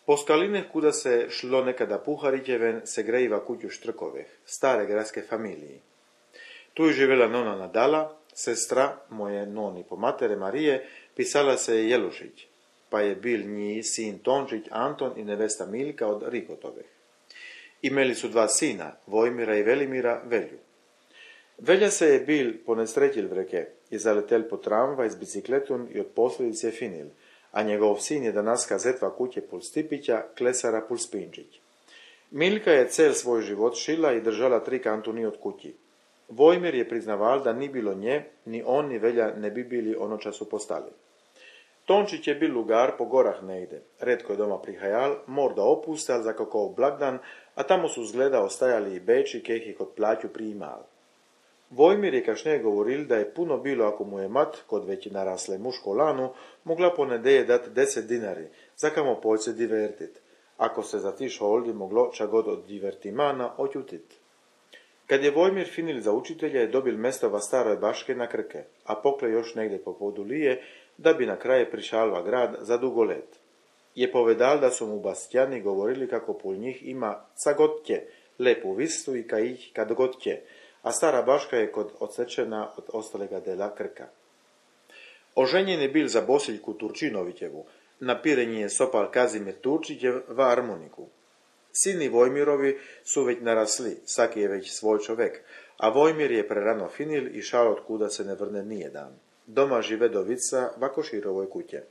Po skalineh, kuda se šlo nekada Puharićeven, se grejiva kuću Štrkoveh, stare gradske familiji. Tu je živjela nona Nadala, sestra moje noni po matere Marije, pisala se je Jelušić, pa je bil nji sin Tončić Anton i nevesta Milka od Rikotoveh. Imeli su dva sina, Vojmira i Velimira, Velju. Velja se je bil ponesrećil vreke i zaletel po tramvaj s bicikletom i od posljedice finil, a njegov sin je danaska zetva kuće pul Stipića, klesara pul Spinčić. Milka je cel svoj život šila i držala 3 kantuni od kući. Vojmir je priznaval da ni bilo nje, ni on ni Velja ne bi bili ono času postali. Tončić je bil lugar po gorah nejde, redko je doma prihajal, morda opustal za kakov blagdan, a tamo su zgleda ostajali i beči, keh ih od plaću prijimal. Vojmir je kašneje govoril, da je puno bilo ako mu je mat, kod već narasle muško lanu, mogla po nedeje dat 10 dinari, za kamo poljce divertit, ako se za ti šoldi moglo čagod od divertimana otjutit. Kad je Vojmir finil za učitelja je dobil mesto va staroj baške na Krke, a pokle još negdje po Podulije, da bi na kraje prišalva grad za dugo let. Je povedal da su mu Bastjani govorili kako pol njih ima ca god tje, lepu vistu i ka ih kad god tje, a stara baška je kod odsečena od ostalega dela Krka. Oženjen je bil za Bosiljku Turčinovićevu, na pirenji je sopal Kazimir Turčićev va harmoniku. Sini Vojmirovi su već narasli, saki je već svoj čovek, a Vojmir je prerano finil i šao od kuda se ne vrne nijedan. Doma žive dovica va Koširovoj kuće.